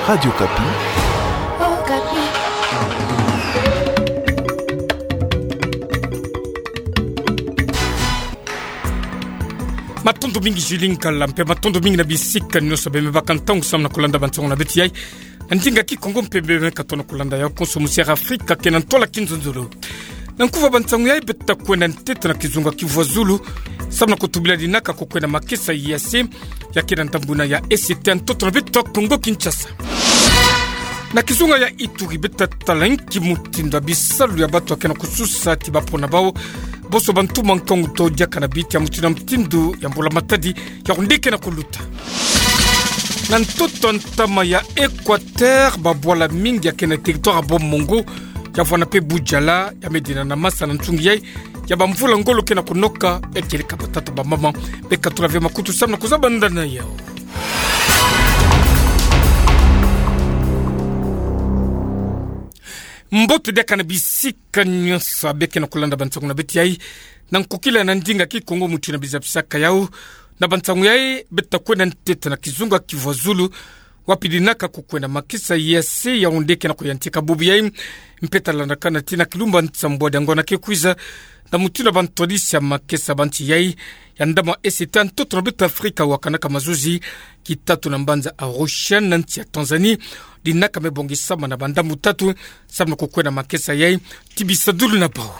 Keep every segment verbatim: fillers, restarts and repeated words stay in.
Radio Okapi. Matondo mingi Julie Nkala mpe matondo mingi na bisika nyonso bemebaka ntangu samu na kolanda bansangu na beto yai. Na ndinga Kikongo mpe bemeka tona kolanda yau konso mu Sierra Afrika kena ntwala kinzonzolo. Na nkufi ya bansangu yai, beto ta kwenda ntete na kizunga Kivu ya Zulu samu na kutubila dinaka ko kwenda makesa ya se ya kena ndambu na ya S T ya ntoto na beto Kongo Kinshasa. Na kizunga ya Ituri, beto ta tala nki mutindu ya bisalu ya bato ya kena kususa ti bapona bau bonso bantu mankangu to diaka na bita ya mutindu na mutindu ya mbula matadi ya onde kena kuluta. Na ntoto ntama ya Equateur, babwala mingi ya kena territoire ya Bas-Mongo, ya vwanda mpe Boudiala, ya me dina na masa na nsungi yai ya bamvula ngolo kena kunoka, ya kieleka batata bamama. Beka tula ve makutu samu na kuzaba ndani yau. Mbote diaka na bisika nyonso abe kena kulanda bansangu na beto yai. Na nkokila na ndinga Kikongo mutindu nabizabisaka yau. Na bansangu yai, beto ta kwenda ntete na kizunga Kivu ya Zulu, wapi dinaka ko kwenda makesa ya se ya onde kena kuyantika bubu yai. Mpe ta landakana tii na kilumbu nsambwadi ya ngonda ke kwiza, na mutindu ya bantwadisi ya makesa ba nsi yai ya ndambu S T ya ntoto na beto Afrika wakanaka mazuzi kitatu na mbanza Arusha na nsi ya Tanzanie. Dinaka me bongisama na bandambu tatu samu na ko kwenda makesa yai ti bisadulu na bau.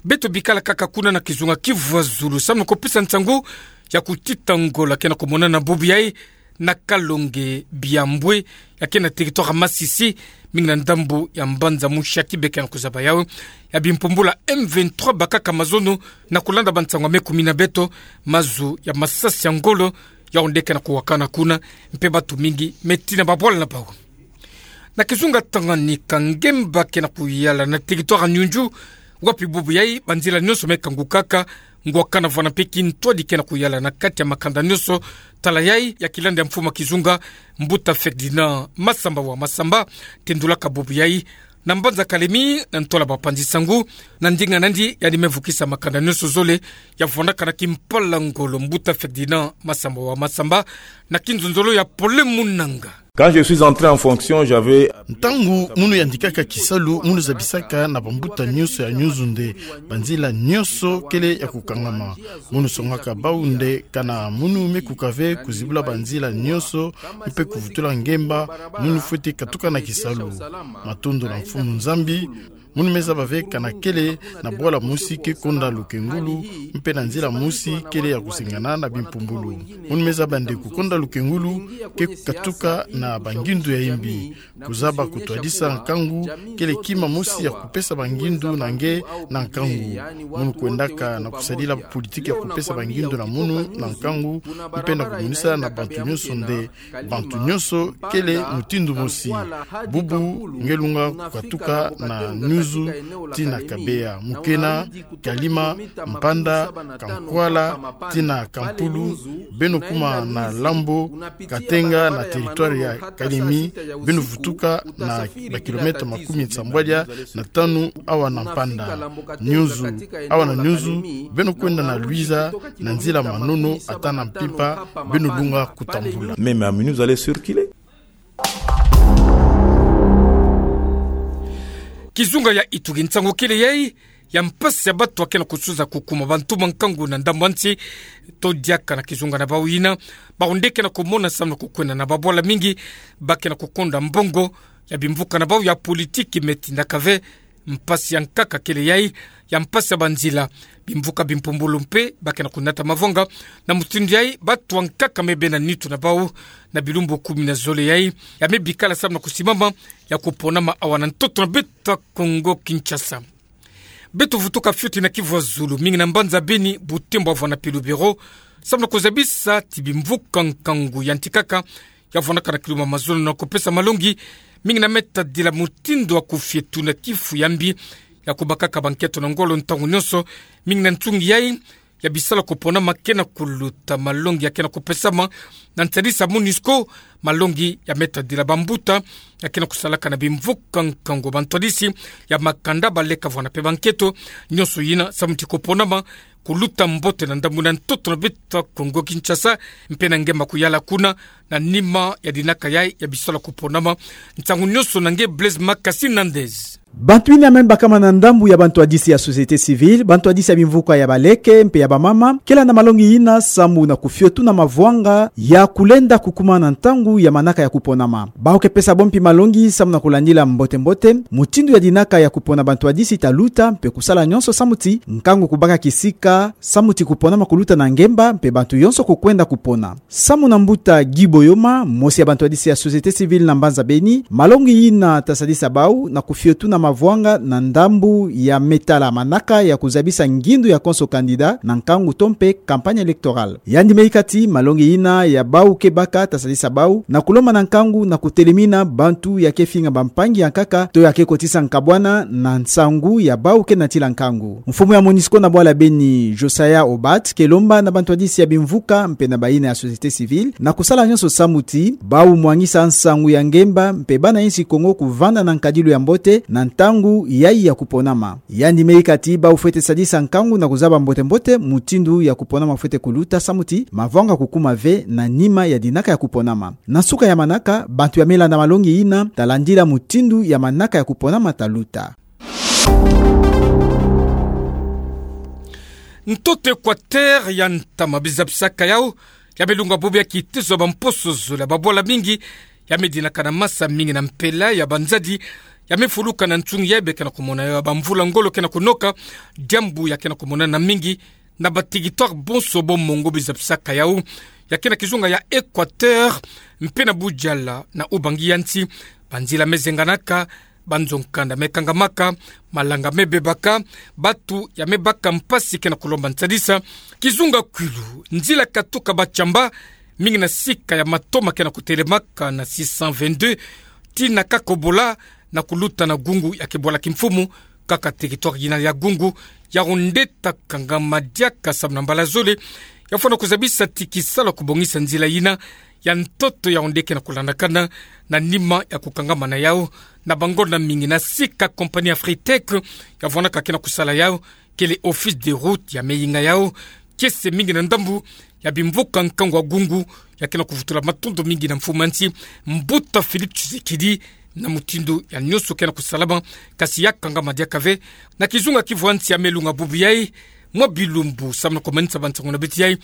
Beto bikala kaka kuna na kizunga Kivu ya Zulu samu na kupesa nsangu ya kutita ngolo kena kumonana bubu yai na Kalonge Biambwe, ya kena territoire ya Masisi, mingi na ndambu ya mbanza Mushaki. Beka na kuzaba yau ya bimpumbulu ya M vingt-trois bakaka mazono. Na kulanda bansangu ya me kumina beto, mazu ya masasi ya ngolo ya onde kena kuwakana kuna, mpe bato mingi me tina babwala na bau. Na kizunga Tanganyika, ngemba kena kuyala na territoire ya Nyunju, wapi bubu yai banzila nyonso me kangukaka, ngwakana vwanda mpe kintwadi kena kuyala na kati ya makanda nyonso. Tala yai ya kilanda ya mfumu ya kizunga, Mbuta Ferdinand Massamba wa Massamba, tendulaka bubu yai na mbanza Kalemi, na ntwala bapanzi sangu. Na ndinga nandi, yandi me vukisa makanda nyonso zole ya vwandaka na kimpala ngolo. Mbuta Ferdinand Massamba wa Massamba, na kinzonzolo ya Pole Munanga. Quand je suis entré en fonction, j'avais... Ntangu munu yandikaka kisalu, munu zabisaka na bambuta nyonso ya Nyunzu nde banzila nyonso kele ya kukangama. Munu songaka bau nde kana munu me kuka ve kuzibula banzila nyonso mpe kuvutula ngemba, munu fweti katuka na kisalu. Matondo na Mfumu Nzambi, munu me zaba ve kana kele na bwala mosi ke konda lukengulu, mpe na nzila mosi kele ya kusengana na bimpumbulu. Munu me zaba nde kukonda lukengulu ke kukatuka na bangindu ya imbi. Kuzaba kutwadisa nkangu kele kima mosi ya kupesa bangindu na nge na nkangu. Munu kwendaka na kusadila politiki ya kupesa bangindu na munu na nkangu, mpe na kumonisa na bantu nyonso nde bantu nyonso kele mutindu mosi. Bubu nge lunga kukatuka na Nyunzu tii na Kabeya, Mukena, Kalima, Mpanda, Kankwala, tii na Kampulu, beno kuma na Lambo, Katenga na territoire ya Kalemi, beno vutuka na bakilomètre makumi nsambwadia na tanu awa na Mpanda. Nyunzu, awa na Nyunzu, beno kwenda na Luiza, na nzila Manono ata na Mpimpa, beno lunga kutambula. Même à minuit, vous allez circuler. Kizunga ya Ituri, nsangu kele yai ya mpasi ya bato ya kena kusuza kukuma bantu mankangu na ndambu ya nsi, to diaka na kizunga na bau yina, bau nde kena kumona samu na kukwenda na babwala mingi ba kena kukonda mbongo ya bimvuka na bau ya politiki. Me tindaka ve mpasi ya nkaka kele yai ya mpasi ya banzila. Bimvuka bimpumbulu mpe ba kena kunata mavanga na mutindu yai, bato ya nkaka me bena nitu na bau na bilumbu kumi na zole yai ya me bikala samu na kusimama ya kuponama awa na ntoto na beto Kongo Kinshasa. Beto vutuka fioti na Kivu ya Zulu, mingi na mbanza Beni, Butembo avwanda mpe Lubero, samu na kuzabisa ti bimvuka nkangu yantikaka ya vwandaka na kiluma mazono na kupesa malongi, mingi na me tadila mutindu ya kufietu na kifu ya mbi ya kubakaka bankento na ngolo ntangu nyonso, mingi na nsungi yai ya bisalu ya kuponama kena kuluta, malongi ya kena kupesama na nsadisi ya MONUSCO, malongi ya me tadila bambuta ya ke na kusalaka na bimvuka nkangu bantu hadisi ya makanda, baleka vwanda pe banketo, nyonso yina samu ti kuponama, kuluta mbote na ndambu na ntoto na beto Kongo Kinshasa, mpe na nge ma kuyala kuna, na nima ya dinaka yayi ya bisalu ya kuponama. Nsangu nyonso na nge Blaise Makasi Nandez. Bantu yina ya me bakama na ndambu ya bantu hadisi ya société civile, bantu hadisi ya bimvuka ya baleke mpe ya bamama, kela na malongi yina samu na kufio tuna mavwanga ya kulenda kukuma na ntangu ya manaka ya kuponama. Bawu ke pesa bompi malongi samu na kulandila mbote-mbote mutindu ya dinaka ya kupona bantu hadisi ta luta, mpe kusala nyonso samu ti nkangu kubaka kisika, samu ti kuponama kuluta na ngemba, mpe bantu yonso kukwenda kupona. Samu na mbuta Guy Boyoma, mosi ya bantu hadisi ya société civile na mbanza Beni, malongi yina ta sadisa bawu na kufio tuna mavwanga na ndambu ya me tala manaka ya kuzabisa ngindu ya konso candidat na nkangu to mpe campagne électorale. Yandi me yika ti malongi yina ya bawu ke baka ta sadisa bawu na kulomba na nkangu na kutelemina bantu ya ke finga bampangi ya nkaka to ya ke kotisa nkabwana na nsangu ya bawu ke natila nkangu. Mfumu ya MONUSCO na bwala Beni, Josiah Obat, ke lomba na bantu hadisi ya bimvuka mpe na bayina ya société civile na kusala nyonso samu ti bawu mwangisa nsangu ya ngemba mpe bana insi Kongo kuvanda na nkadilu ya mbote na ntangu yayi ya kuponama. Yandi me yika ti bawu fwete sadisa nkangu na kuzaba mbote-mbote mutindu ya kuponama fwete kuluta samu ti mavwanga kukuma ve na nima ya dinaka ya kuponama. Na nsuka ya manaka, bantu ya me landa malongi yina ta landila mutindu ya manaka ya kuponama ta luta. Ntoto Équateur ya ntama bizapisaka yawu ya me lunga bubu ya kitezo ya bamposo zole ya babwala mingi ya me dinaka na masa mingi na mpela ya banzadi ya me fuluka na nsungi yayi be ke na kumona ya bamvula ngolo ke na kunoka, diambu ya ke na kumonana mingi na batéritoire bonso bo mongo bizapisaka yawu ya ke na kizunga ya Équateur, mpe na budiala na ubangi ya nsi, banzila me zenganaka, banzo nkanda me kangamaka, malanga me bebaka, batu ya me baka mpasi ke na kulomba nsadisa. Kizunga kwilu, nzila katuka Bachamba, mingi na sika ya matoma ke na kutelemaka na six cent vingt-deux, tii na Kakobola, na kuluta na gungu ya ke bwala kimfumu, kaka territoire yina ya gungu, yawu nde ta kangama diaka samu na mbala zole, ya fwana kuzabisa ti kisalu ya kubongisa nzila yina ya ntoto yawu nde ke na kulandakana, na nima ya kukangamana yawu na bangonda mingi na sika compagnie Afritec ya fwanaka ke na kusala yawu, kele Office des routes ya me yinga yawu, kiese mingi na ndambu ya bimvuka nkangu ya gungu, ya ke na kuvutula matondo mingi na mfumu ya nsi, Mbuta Félix Tshisekedi, na mutindu ya nyonso ke na kusalama, kasi ya kangama diaka ve na kizunga kivu ya nsi ya me lunga bubu yayi, mwa bilumbu samu na kumanisa bansangu na beto yayi,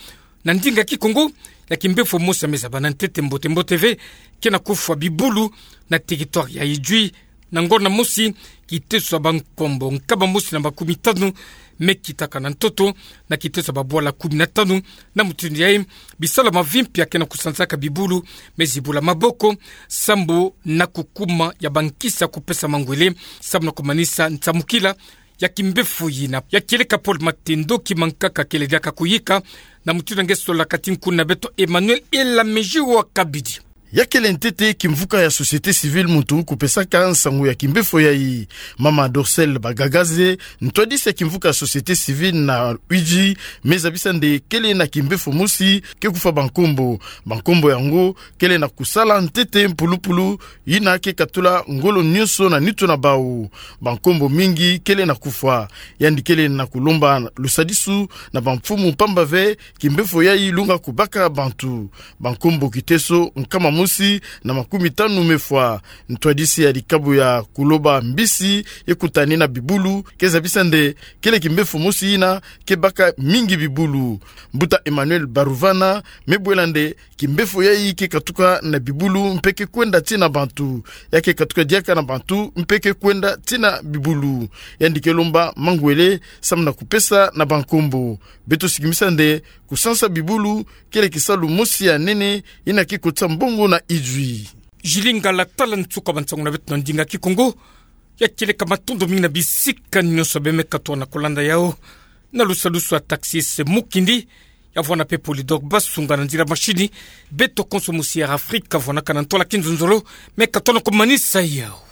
na ndinga Kikongo, ya kimbefo mosi ya me zabana ntete mbote-mbote ve, ke na kufwa bibulu na territoire ya Idjwi, na ngonda mosi, kitezo ya bankombo nkama mosi na makumi tanu me kitaka na ntoto, na kitezo ya babwala kumi na tanu. Na mutindu yayi, bisalu ya mavimpi ya ke na kusanzaka bibulu me zibula maboko, sambu na kukuma ya bankisi ya kupesa mangwele, samu na kumanisa nsamukila ya kimbefo yina. Ya kieleka Paul Matendo, ki mankaka kele diaka kuyika, na mutindu ya nge sola kati nkuna beto Emmanuel Elamezi wa Kabidi. Ya kele ntete kimvuka ya société civile muntu kupesaka nsangu ya kimbefo yayi. Mama Dorcelle Bagagaze, ntwadisi ya kimvuka ya société civile na Idjwi, me zabisa nde kele na kimbefo mosi ke kufwa bankombo. Bankombo yango kele na kusala ntete mpulupulu, yina ke katula ngolo nyonso na nitu na bawu. Bankombo mingi kele na kufwa. Yandi kele na kulomba lusadisu na bamfumu, pamba ve kimbefo yayi lunga kubaka bantu. Bankombo kiteso nkama mosi na makumi tanu me fwa. Ntwadisi ya likabu ya kuloba mbisi ye kutani na bibulu ke zabisa nde kele kimbefo mosi yina ke baka mingi bibulu. Mbuta Emmanuel Baruvana me bwela nde kimbefo yayi ke katuka na bibulu mpe ke kwenda tii na bantu. Ya ke katuka diaka na bantu mpe ke kwenda tii na bibulu. Yandi ke lomba mangwele samu na kupesa na bankombo. Beto sikimisa nde kusansa bibulu kele kisalu mosi ya nene yina ke kotisa mbongo na Idjwi. Jilinga la tala nsuka bansangu na beto na ndinga Kikongo. Ya kieleka matondo mingi na bisika nyonso be me katuka na kulanda yawu. Na lusadusu ya taxis Mukindi, ya vwana pe Polydor Basunga na nzila mashini, beto konso musi Air Afrique ya vwanaka na ntola kinzonzolo, me katuka na kumanisa yawu.